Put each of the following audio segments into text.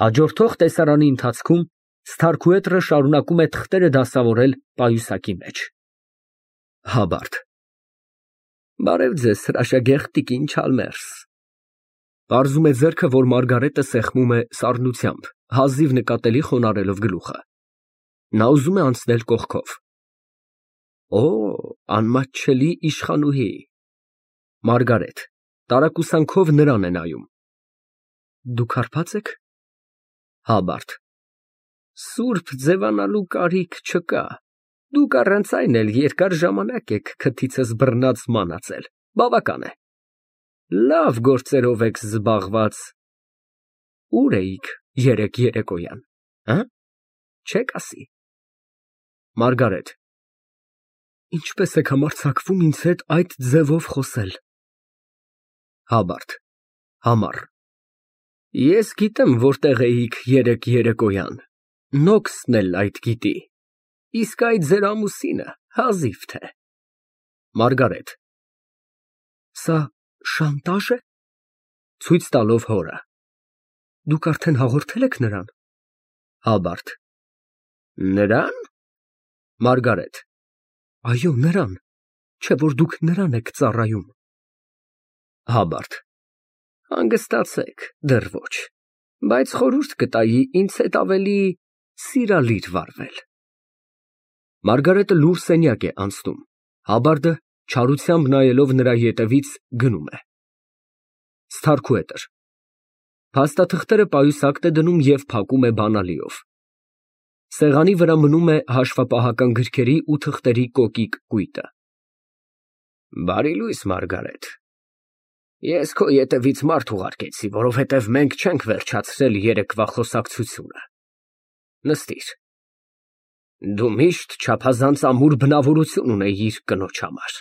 Հաջորդող տեսարանի ընթացքում Սթարքուետրը շարունակում է թղթերը դասավորել պայուսակի մեջ։ Հաբարդ Բարև ձեզ, հրաշագեղ տիկին Չալմերս։ Պարզում է ձեռքը, որ Մարգարետը սեղմում է սառնությամբ, հազիվ նկատելի խոնարհելով գլուխը։ Նա ուզում է անցնել կողքով։ Օ, անմատչելի իշխանուհի։ Մարգարետ տարակուսանքով նրան է նայում։ Դուք հարբած եք։ Հաբարդ Սուրբ ձևանալու կարիք չկա։ Դուք առանց այն էլ երկար ժամանակ եք քթիցս բռնած մանածել, բավական է։ Լավ գործերով եք զբաղված։ Ուր էիք երեկ երեկոյան, չեք ասի։ Մարգարետ Ինչպես եք համարձակվում ինձ հետ այդ ձևով խոսել։ Հաբարդ Համառ Ես գիտեմ որտեղ էիք երեկ երեկոյան, Նոքսն էլ այդ գիտի, իսկ այդ ձեր ամուսինը հազիվ թե։ Մարգարետ Սա շանտաժ է։ Ցույց տալով հորը Դուք արդեն հաղորդել եք նրան։ Հաբարդ Նրան։ Մարգարետ Այո, նրան, չէ որ դուք նրան եք ծառայում։ Հաբարդ Հանգստացեք, դեռ ոչ, բայց խորհուրդ կտայի ինձ հետ ավելի սիրալիր վարվել։ Մարգարետը լուռ սենյակ է անցնում, Հաբարդը չարությամբ նայելով նրա ետևից գնում է։ Սթարքուետր Փաստաթղթերը պայուսակն է դնում և փակում է բանալիով։ Սեղանի վրա մնում է հաշվապահական գրքերի ու թղթերի կոկիկ կույտը։ Բարի լույս, Մարգարետ։ Ես քո ետևից մարդ ուղարկեցի, որովհետև մենք չենք վերջացրել երեկվա խոսակցությունը։ Նստիր։ Դու միշտ չափազանց ամուր բնավորություն ունեիր կնոջ համար։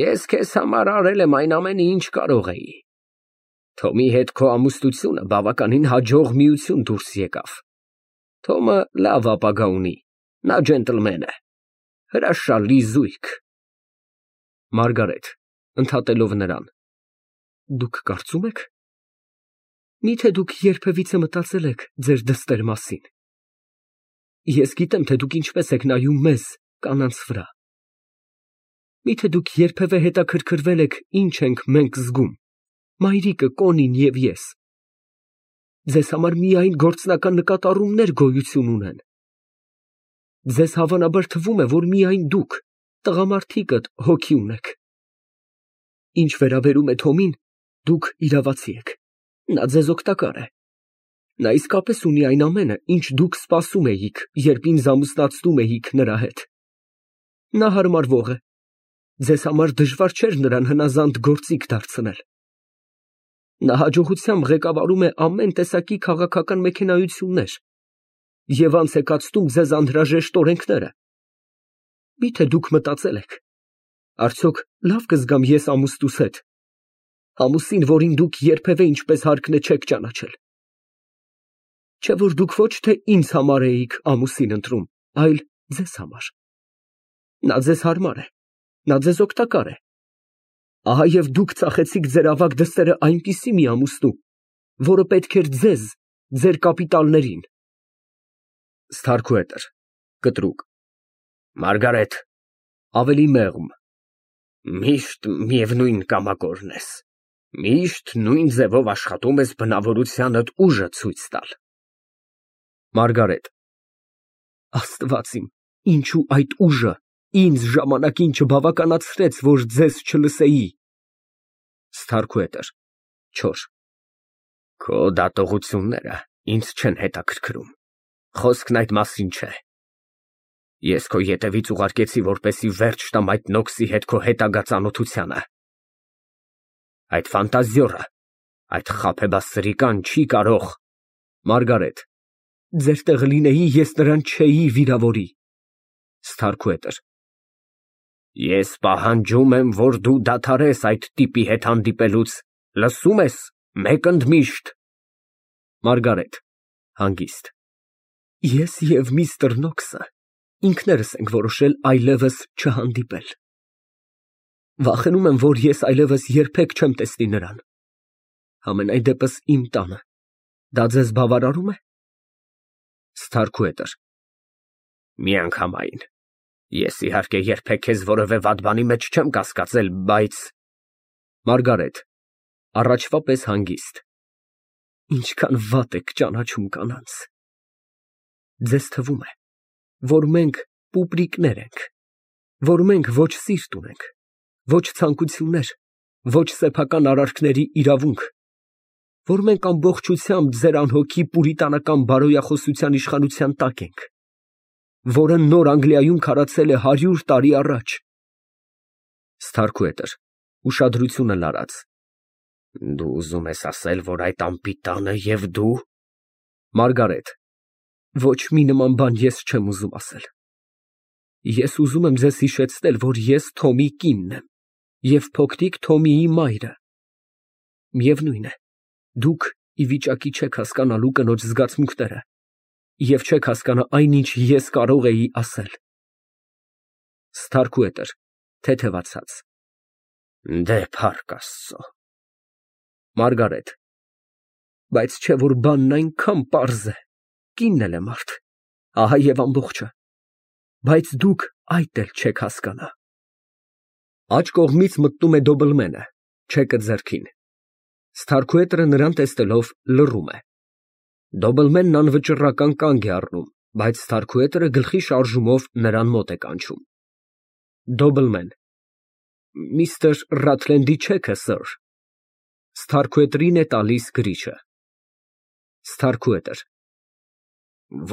Ես քեզ համար արել եմ այն ամենը, ինչ կարող էի։ Թոմի հետ քո ամուսնությունը բավականին հաջող միություն դուրս եկավ։ Թոմը լավ ապագա ունի, նա ջենտլմեն է, հրաշալի զույգ։ Մարգարետ ընդհատելով նրան Դուք կարծում եք։ Միթե դուք երբևիցե մտածել եք ձեր դստեր մասին։ Ես գիտեմ, թե դուք ինչպես եք նայում մեզ, կանանց վրա։ Միթե դուք երբևէ հետաքրքրվել եք, ինչ ենք մենք զգում, մայրիկը, Կոնին և ես։ Ձեզ համար միայն գործնական նկատառումներ գոյություն ունեն։ Ձեզ հավանաբար թվում է, որ միայն դուք, տղամարդիկդ, հոգի ունեք։ Ինչ վերաբերում է Թոմին, դուք իրավացի եք, նա ձեզ օգտակար է։ Նա իսկապես ունի այն ամենը, ինչ դուք սպասում էիք, երբ ինձ ամուսնացնում էիք նրա հետ։ Նա հարմարվող է, ձեզ համար դժվար չէր նրան հնազանդ գործիք դարձնել։ Նա հաջողությամբ ղեկավարում է ամեն տեսակի քաղաքական մեքենայություններ և անց է կացնում ձեզ անհրաժեշտ օրենքները։ Միթե դուք մտածել եք, արդյոք լավ կզգամ ես ամուսնուս հետ, ամուսին, որին դուք երբևէ ինչպես հարկն է չեք ճանաչել։ Չէ որ դուք ոչ թե ինձ համար էիք ամուսին ընտրում, այլ ձեզ համար։ Նա ձեզ հարմար է, նա ձեզ օգտակար է։ Ահա և դուք ծախեցիք ձեր ավագ դստերը այնպիսի մի ամուսնու, որը պետք էր ձեզ, ձեր կապիտալներին։ Սթարքուետր կտրուկ Մարգարետ ավելի մեղմ Միշտ միևնույն կամակորն ես, միշտ նույն ձևով աշխատում ես բնավորությանդ ուժը ցույց տալ։ Մարգարետ Աստված իմ, ինչու այդ ուժը ինձ ժամանակին չբավականացրեց, որ ձեզ չլսեի։ Սթարքուետր Չոր Քո դատողությունները ինձ չեն հետաքրքրում, խոսքն այդ մասին չէ։ Ես քո ետևից ուղարկեցի, որպեսզի վերջ տամ այդ Նոքսի հետ քո հետագա ծանոթությանը։ Այդ ֆանտազիորը, այդ խաբեբասրիկան չի կարող։ Մարգարետ Ձեր տեղը լինեի, ես նրան չէի վիրավորի։ Սթարքուետր Ես պահանջում եմ, որ դու դադարես այդ տիպի հետ հանդիպելուց, լսում ես, մեկ ընդմիշտ։ Մարգարետ հանգիստ Ես և միստր Նոքսը ինքներս ենք որոշել այլևս չհանդիպել։ Վախենում եմ, որ ես այլևս երբեք չեմ տեսնի նրան։ Համենայն դեպս իմ տանը, Դա ձեզ բավարարում է։ Ստարքուհետր Միանգամայն։ Ես իհարկե երբեք քեզ որևէ վատ բանի մեջ չեմ կասկածել, բայց… ՄԱՐԳԱՐԵՏ ֊ (Առաջվա պես հանգիստ) Ինչքան վատ եք ճանաչում կանանց։ Ձեզ թվում է, որ մենք պուպրիկներ ենք, որ մենք ոչ սիրտ ունենք, ոչ ցանկություններ, ոչ սեփական արարքների իրավունք, որ մենք ամբողջությամբ ձեր անհոգի պուրիտանական բարոյախոսության իշխանության տակ ենք, որը Նոր Անգլիայում քարացել է 100 տարի առաջ։ Ստարքուհետր (ուշադրությունը լարած) Դու ուզում ես ասել, որ այդ անպիտանը և դու… ՄԱՐԳԱՐԵՏ ֊ Ոչ մի նման բան ես չեմ ուզում ասել։ Ես ուզում եմ ձեզ հիշեցնել, որ ես Թոմի կինն եմ և փոքրիկ Թոմիի մայրը։ Միևնույն է, դուք ի վիճակի չեք հասկանալու կնոջ զգացմունքները և չեք հասկանա այն, ինչ ես կարող էի ասել։ Ստարքուհետր (Թեթևացած) Դե, փառք Աստծո։ ՄԱՐԳԱՐԵՏ ֊ Բայց չէ՞ որ բանն այնքան պարզ է, կինն էլ է մարդ, ահա և ամբողջը, բայց դուք այդ էլ չեք հասկանա։ (Աջ կողմից մտնում է Դոբլմենը, չեկը ձեռքին։ Ստարքուհետրը նրան տեսնելով լռում է։ Դոբլմենն անվճռական կանգ է առնում, բայց Ստարքուհետրը գլխի շարժումով նրան մոտ է կանչում)։ Դոբլմեն Միստր Ռաթլենդի չեքը, սըր։ (Ստարքուհետրին է տալիս գրիչը)։ ՍՏԱՐՔՈՒՀԵՏՐ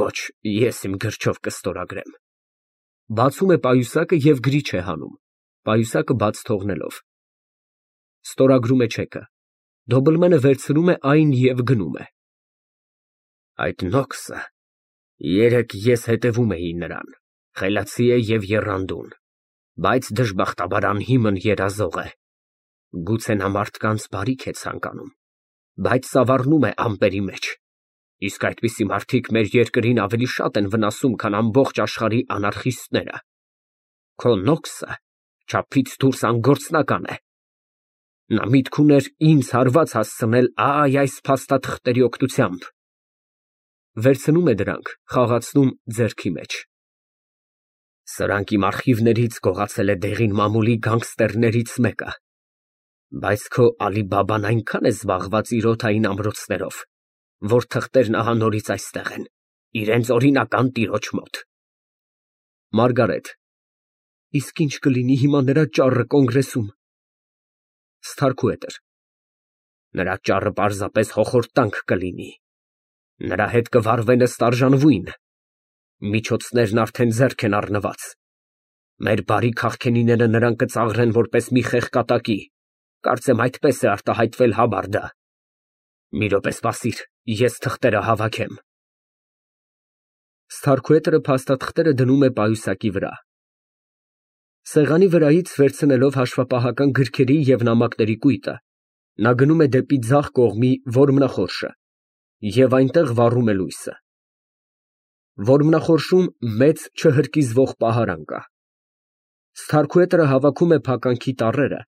Ոչ, ես իմ գրչով կստորագրեմ։ (Բացում է պայուսակը և գրիչ է հանում, պայուսակը բաց թողնելով)։ Ստորագրում է չեքը։ Դոբլմենը վերցնում է այն և գնում է։ Այդ Նոքսը… երեկ ես հետևում էի նրան, խելացի է և եռանդուն, բայց դժբախտաբար անհիմն երազող է։ Գուցե նա մարդկանց բարիք է ցանկանում, բայց ծավառնում է ամպերի մեջ, իսկ այդպիսի մարդիկ մեր երկրին ավելի շատ են վնասում, քան ամբողջ աշխարհի անարխիստները։ Քո Նոքսը չափից դուրս անգործնական է։ Նա միտք ուներ ինձ հարված հասցնել այ այս փաստաթղթերի օգնությամբ։ (Վերցնում է դրանք, խաղացնում ձեռքի մեջ)։ Սրանք իմ արխիվներից գողացել է դեղին մամուլի գանգստերներից մեկը, բայց քո Ալի֊Բաբան այնքան է զբաղված իր օդային ամրոցներով, որ թղթերն ահա նորից այստեղ են, իրենց օրինական տիրոջ մոտ։ ՄԱՐԳԱՐԵՏ ֊ Իսկ ի՞նչ կլինի հիմա նրա ճառը Կոնգրեսում։ ՍՏԱՐՔՈՒՀԵՏՐ Նրա ճառը պարզապես հոխորտանք կլինի։ Նրա հետ կվարվեն ըստ արժանվույն։ Միջոցներն արդեն ձեռք են առնված։ Մեր բարի քաղքենիները նրան կծաղրեն որպես մի խեղկատակի, կարծեմ այդպես է արտահայտվել Հաբարդը։ Մի րոպե սպասիր, ես թղթերը հավաքեմ։ (Ստարքուհետրը փաստաթղթերը դնում է պայուսակի վրա)։ Սեղանի վրայից վերցնելով հաշվապահական գրքերի և նամակների կույտը, նա գնում է դեպի ձախ կողմի որմնախորշը և այնտեղ վառում է լույսը։ Որմնախորշում մեծ չհրկիզվող պահարան կա։ Ստարքուհետրը հավաքում է փականքի տառերը,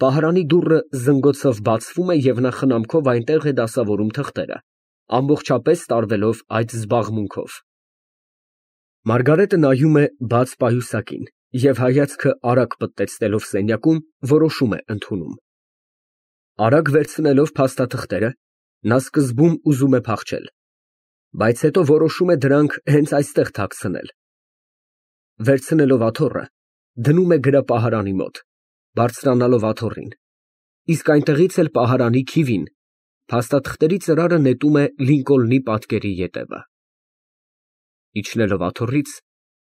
պահարանի դուռը զնգոցով բացվում է և նա խնամքով այնտեղ է դասավորում թղթերը, ամբողջապես տարվելով այդ զբաղմունքով։ Մարգարետը նայում է բաց պայուսակին և հայացքը արագ պտտեցնելով սենյակում, որոշում է ընդունում։ Արագ վերցնելով փաստաթղթերը, նա սկզբում ուզում է փախչել, բայց հետո որոշում է դրանք հենց այստեղ թաքցնել։ Վերցնելով աթոռը, դնում է գրապահարանի մոտ, բարձրանալով աթոռին, իսկ այնտեղից էլ պահարանի քիվին, փաստաթղթերի ծրարը նետում է Լինկոլնի պատկերի ետևը։ Իջնելով աթոռից,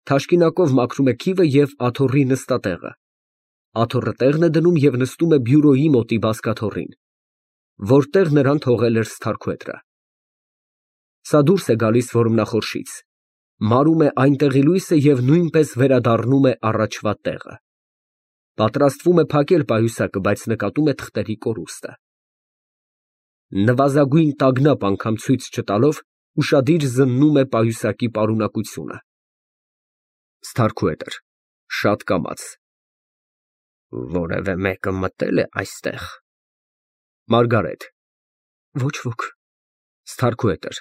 թաշկինակով մաքրում է քիվը և աթոռի նստատեղը, աթոռը տեղն է դնում և նստում է բյուրոյի մոտի բազկաթոռին, որտեղ նրան թողել էր Ստարքուհետրը։ Սա դուրս է գալիս որմնախորշից, մարում է այնտեղի լույսը և նույնպես վերադառնում է առաջվա տեղը։ Պատրաստվում է փակել պայուսակը, բայց նկատում է թղթերի կորուստը։ Նվազագույն տագնապ անգամ ցույց չտալով, ուշադիր զննում է պայուսակի պարունակությունը։ ՍՏԱՐՔՈՒՀԵՏՐ ֊ (Շատ կամաց) Որևէ մեկը մտել է այստեղ։ ՄԱՐԳԱՐԵՏ ֊ Ոչ ոք։ Ստարքուհետր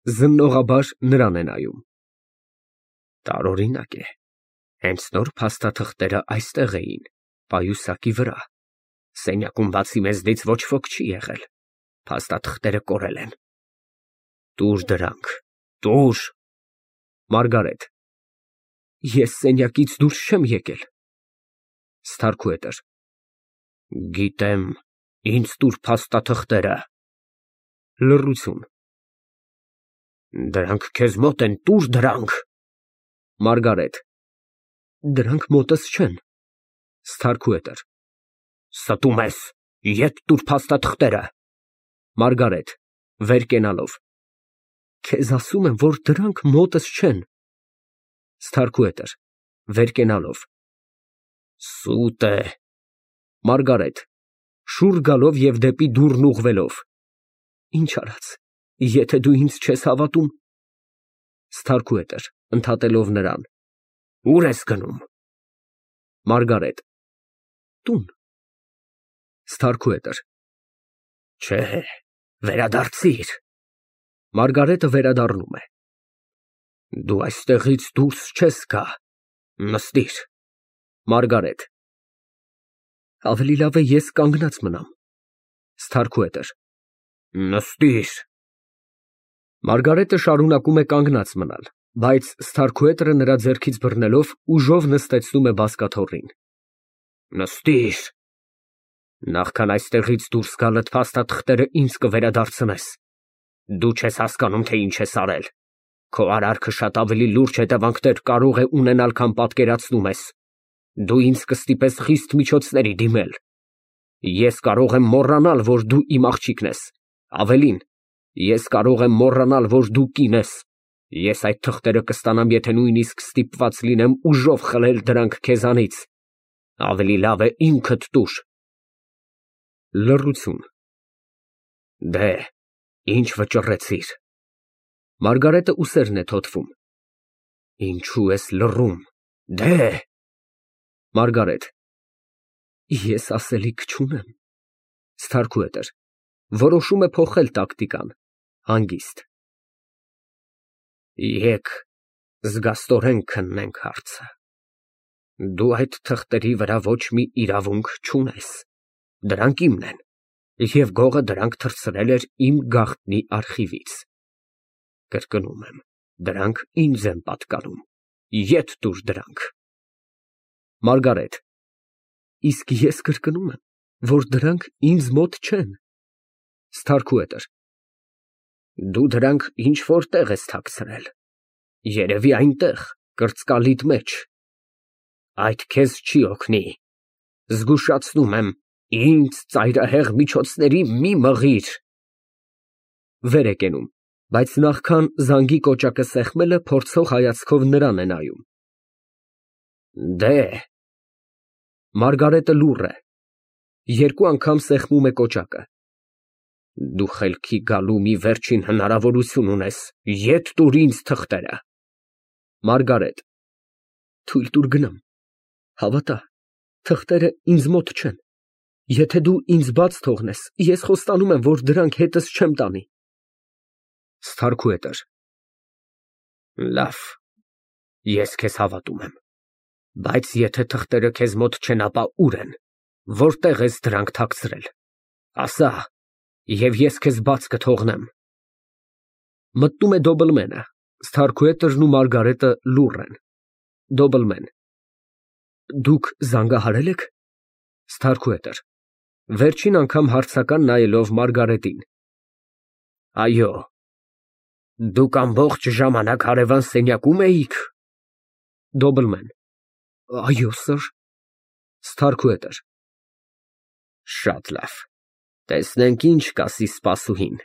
զննողաբար նրան է նայում։ Տարօրինակ է, հենց նոր փաստաթղթերը այստեղ էին, պայուսակի վրա, սենյակում բացի մեզնից ոչ ոք չի եղել, փաստաթղթերը կորել են։ Տուր դրանք, տուր։ Մարգարետ ես սենյակից դուրս չեմ եկել։ Ստարքուհետր գիտեմ, ինձ տուր փաստաթղթերը։ Լռություն։ Դրանք քեզ մոտ են, տուր դրանք։ Մարգարետ դրանք մոտս չեն։ Ստարքուհետր ստում ես, ետ տուր փաստաթղթերը։ Մարգարետ վեր կենալով քեզ ասում եմ, որ դրանք մոտս չեն։ Ստարքուհետր վեր կենալով սուտ է։ Մարգարետ շուռ գալով և դեպի դուռն ուղղվելով ինչ արած, եթե դու ինձ չես հավատում։ Ստարքուհետր ընդհատելով նրան ուր ես գնում։ Մարգարետ տուն։ Ստարքուհետր չէ, վերադարձիր։ Մարգարետը վերադառնում է։ Դու այստեղից դուրս չես գա, նստիր։ Մարգարետ ավելի լավ է ես կանգնած մնամ։ Ստարքուհետր նստիր։ Մարգարետը շարունակում է կանգնած մնալ, բայց Ստարքուհետրը նրա ձեռքից բռնելով ուժով նստեցնում է բազկաթոռին։ Նստիր։ Նախքան այստեղից դուրս գալդ փաստաթղթերը ինձ կվերադարձնես։ Դու չես հասկանում, թե ինչ ես արել։ Քո արարքը շատ ավելի լուրջ հետևանքներ կարող է ունենալ, քան պատկերացնում ես։ Դու ինձ կստիպես խիստ միջոցների դիմել։ Ես կարող եմ մոռանալ, որ դու իմ աղջիկն ես։ Ավելին, ես կարող եմ մոռանալ, որ դու կին ես։ Ես այդ թղթերը կստանամ, եթե նույնիսկ ստիպված լինեմ ուժով խլել դրանք քեզանից։ Ավելի լավ է ինքդ տուր։ Լռություն։ Դե, ինչ վճռեցիր։ Մարգարետը ուսերն է թոթվում։ Ինչու ես լռում։ Դե։ Մարգարետ ես ասելիք չունեմ։ Ստարքուհետր որոշում է փոխել տակտիկան, հանգիստ։ Եկ զգաստորեն քննենք հարցը։ Դու այդ թղթերի վրա ոչ մի իրավունք չունես։ Դրանք իմն են, և գողը դրանք թռցրել էր իմ գաղտնի արխիվից։ Կրկնում եմ, դրանք ինձ են պատկանում։ Ետ տուր դրանք։ Մարգարետ իսկ ես կրկնում եմ, որ դրանք ինձ մոտ չեն։ Ստարքուհետր դու դրանք ինչ֊որ տեղ ես թաքցրել։ Երևի այնտեղ, կրծկալիդ մեջ։ Այդ քեզ չի օգնի։ Զգուշացնում եմ, ինձ ծայրահեղ միջոցների մի մղիր։ Վեր է կենում, բայց նախքան զանգի կոճակը սեղմելը փորձող հայացքով նրան է նայում։ Դե։ Մարգարետը լուռ է։ Երկու անգամ սեղմում է կոճակը։ Դու խելքի գալու մի վերջին հնարավորություն ունես, ետ տուր ինձ թղթերը։ Մարգարետ թույլ տուր գնամ, հավատա, թղթերը ինձ մոտ չեն։ Եթե դու ինձ բաց թողնես, ես խոստանում եմ, որ դրանք հետս չեմ տանի։ Ստարքուհետր լավ, ես քեզ հավատում եմ, բայց եթե թղթերը քեզ մոտ չեն, ապա ուր են, որտեղ ես դրանք թաքցրել, ասա, և ես քեզ բաց կթողնեմ։ Մտնում է Դոբլմենը, Ստարքուհետրն ու Մարգարետը լուռ են։ Դոբլմեն դուք զանգահարել եք։ Ստարքուհետր վերջին անգամ հարցական նայելով Մարգարետին։ Այո։ Դուք ամբողջ ժամանակ հարևան սենյակում էիք։ Դոբլմեն այո, սըր։ Ստարքուհետր շատ լավ, տեսնենք ինչ կասի սպասուհին։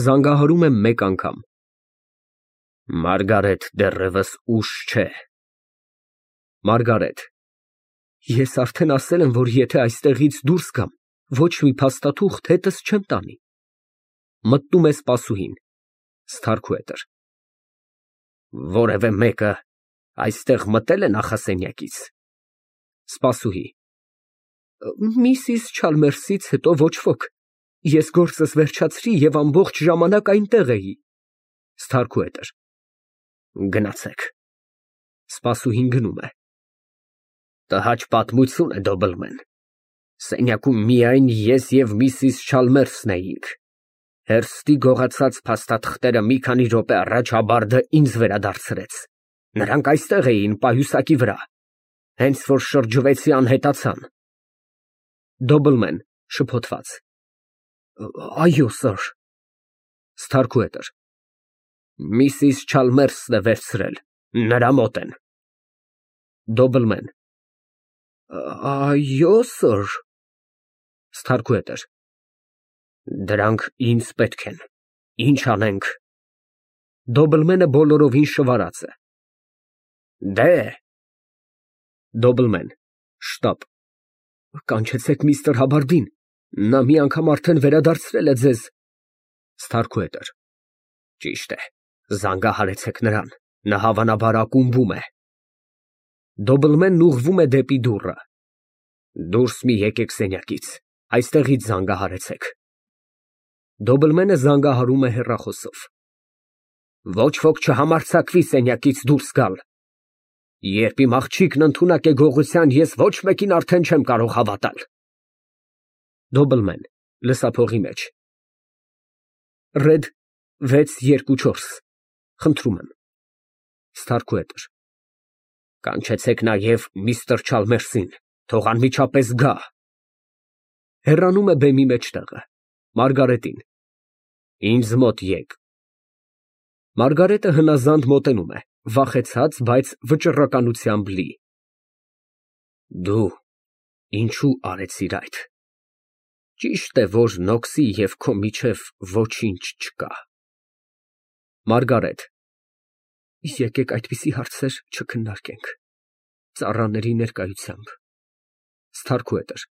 Զանգահարում է մեկ անգամ։ Մարգարետ դեռևս ուշ չէ։ Մարգարետ ես արդեն ասել եմ, որ եթե այստեղից դուրս գամ, ոչ մի փաստաթուղթ հետս չեմ տանի։ Մտնում է սպասուհին։ Ստարքուհետր որևէ մեկը այստեղ մտել է նախասենյակից։ Սպասուհի միսիս Չալմերսից հետո ոչ ոք։ Ես գործս վերջացրի և ամբողջ ժամանակ այնտեղ էի։ Ստարքուհետր Գնացեք։ Սպասուհին գնում է։ Տհաճ պատմություն է, Դոբլմեն։ Սենյակում միայն ես և միսիս Չալմերսն էինք։ Հերստի գողացած փաստաթղթերը մի քանի րոպե առաջ Հաբարդը ինձ վերադարձրեց։ Նրանք այստեղ էին, պայուսակի վրա։ Հենց որ շրջվեցի, անհետացան։ Դոբլմեն (շփոթված) Այո, սըր։ Ստարքուհետր Միսիս Չալմերսն է վերցրել, նրա մոտ են։ Դոբլմեն Այո, սըր։ Ստարքուհետր Դրանք ինձ պետք են, ինչ անենք։ Դոբլմենը բոլորովին շվարած է։ Դե։ Դոբլմեն (շտապ) Կանչեցեք միստր Հաբարդին, նա մի անգամ արդեն վերադարձրել է ձեզ։ Ստարքուհետր Ճիշտ է, զանգահարեցեք նրան, նա հավանաբար ակումբում է։ Դոբլմենն ուղղվում է դեպի դուռը։ Դուրս մի եկեք սենյակից, այստեղից զանգահարեցեք։ Դոբլմենը զանգահարում է հեռախոսով։ Ոչ ոք չհամարձակվի սենյակից դուրս գալ։ Երբ իմ աղջիկն ընդունակ է գողության, ես ոչ մեկին արդեն չեմ կարող հավատալ։ Դոբլմեն (լսափողի մեջ) Ռեդ 624 Խնդրում եմ։ Ստարքուհետր Կանչեցեք նաև միստր Չալմերսին, թող անմիջապես գա։ Հեռանում է բեմի մեջտեղը։ Մարգարետին Ինձ մոտ եկ։ Մարգարետը հնազանդ մոտենում է, վախեցած, բայց վճռականությամբ լի։ Դու ինչու արեցիր այդ։ Ճիշտ է, որ Նոքսի և քո միջև ոչինչ չկա։ Մարգարետ Եկեք այդպիսի հարցեր չքննարկենք, ծառաների ներկայությամբ։ Ստարքուհետր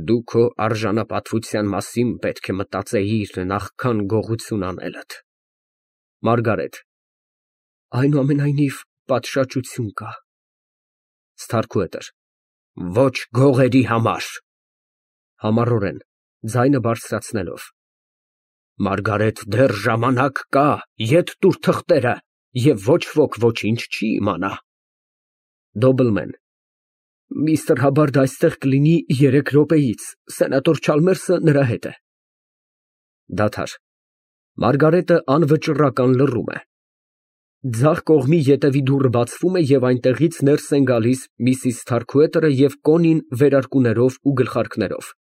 Դու քո արժանապատվության մասին պետք է մտածեիր նախքան գողություն անելդ։ Մարգարետ Այնուամենայնիվ, պատշաճություն կա։ Ստարքուհետր Ոչ գողերի համար։ (Համառորեն, ձայնը բարձրացնելով) Մարգարետ, դեռ ժամանակ կա, ետ տուր թղթերը, և ոչ ոք ոչինչ չի իմանա։ Դոբլմեն Միստր Հաբարդը այստեղ կլինի 3 րոպեից, սենատոր Չալմերսը նրա հետ է։ Դադար։ Մարգարետը անվճռական լռում է։ Ձախ կողմի ետևի դուռը բացվում է և այնտեղից ներս են գալիս միսիս Սթարքուհետերը և Կոնին վերարկուներով ու գլխարկներով։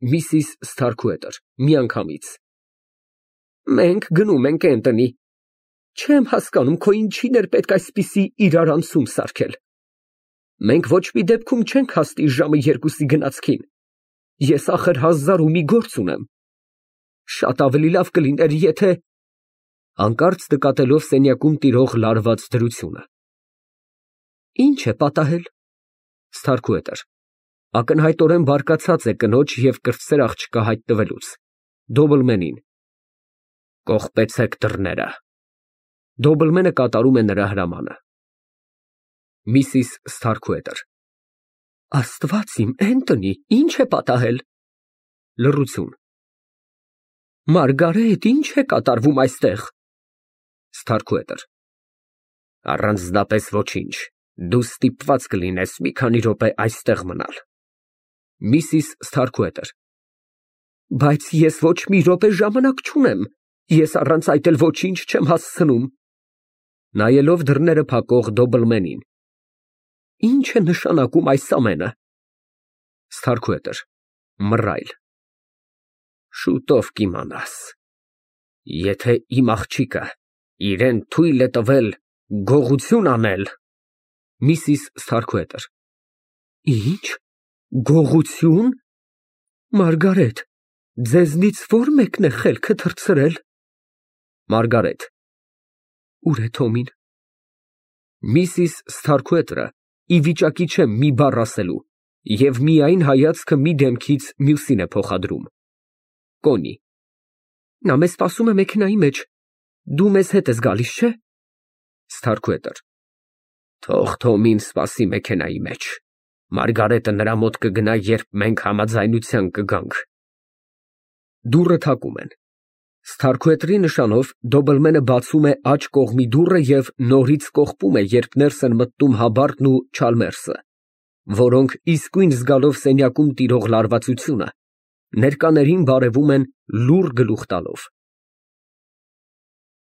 Միսիս Սթարքուհետեր (միանգամից) Մենք գնում ենք Էնտոնի։ Չեմ հասկանում, քո ինչին էր պետք այսպիսի իրարանցում սարքել։ Մենք ոչ մի դեպքում չենք հասնի ժամը 2-ի գնացքին։ Ես ախր 1000 ու մի գործ ունեմ։ Շատ ավելի լավ կլիներ, եթե… (Հանկարծ նկատելով սենյակում տիրող լարված դրությունը) Ինչ է պատահել։ Սթարքուհետեր Ակնհայտորեն բարկացած է կնոջ և կրտսեր աղջկա հայտնվելուց։ Դոբլմենին Կողպեցեք դռները։ Դոբլմենը կատարում է նրա հրամանը։ Միսիս Սթարքուհետեր Աստված իմ, Էնտոնի, ինչ է պատահել։ Լռություն։ Մարգարետ, ինչ է կատարվում այստեղ։ Սթարքուհետեր Առանձնապես ոչինչ, դու ստիպված կլինես մի քանի րոպե այստեղ մնալ։ Միսիս Սթարքուհետեր Բայց ես ոչ մի րոպե ժամանակ չունեմ, ես առանց այդ էլ ոչինչ չեմ հասցնում։ (Նայելով դռները փակող Դոբլմենին) Ինչ է նշանակում այս ամենը։ Սթարքուհետեր (մռայլ) Շուտով կիմանաս։ Եթե իմ աղջիկը իրան թույլ է տվել գողություն անել… Միսիս Սթարքուհետեր Ինչ, գողություն… Մարգարետ, ձեզնից ո՞ր մեկն է խելքը թռցրել։ Մարգարետ Ուր է Թոմին։ Միսիս Սթարքուհետերը ի վիճակի չէ մի բառ ասելու և միայն հայացքը մի դեմքից մյուսին է փոխադրում։ Կոնի Նա մեզ սպասում է մեքենայի մեջ, դու մեզ հետ ես գալիս, չէ։ Սթարքուհետեր Թող Թոմին սպասի մեքենայի մեջ, Մարգարետը նրա մոտ կգնա, երբ մենք համաձայնության կգանք։ Դուռը թակում են։ Սթարքուետրի նշանով դոբլմենը բացում է աջ կողմի դուռը և նորից կողպում է, երբ ներս են մտնում Հաբարտն ու Չալմերսը, որոնք, իսկույն զգալով սենյակում տիրող լարվածությունը, ներկաներին բարևում են լուռ գլուխ տալով։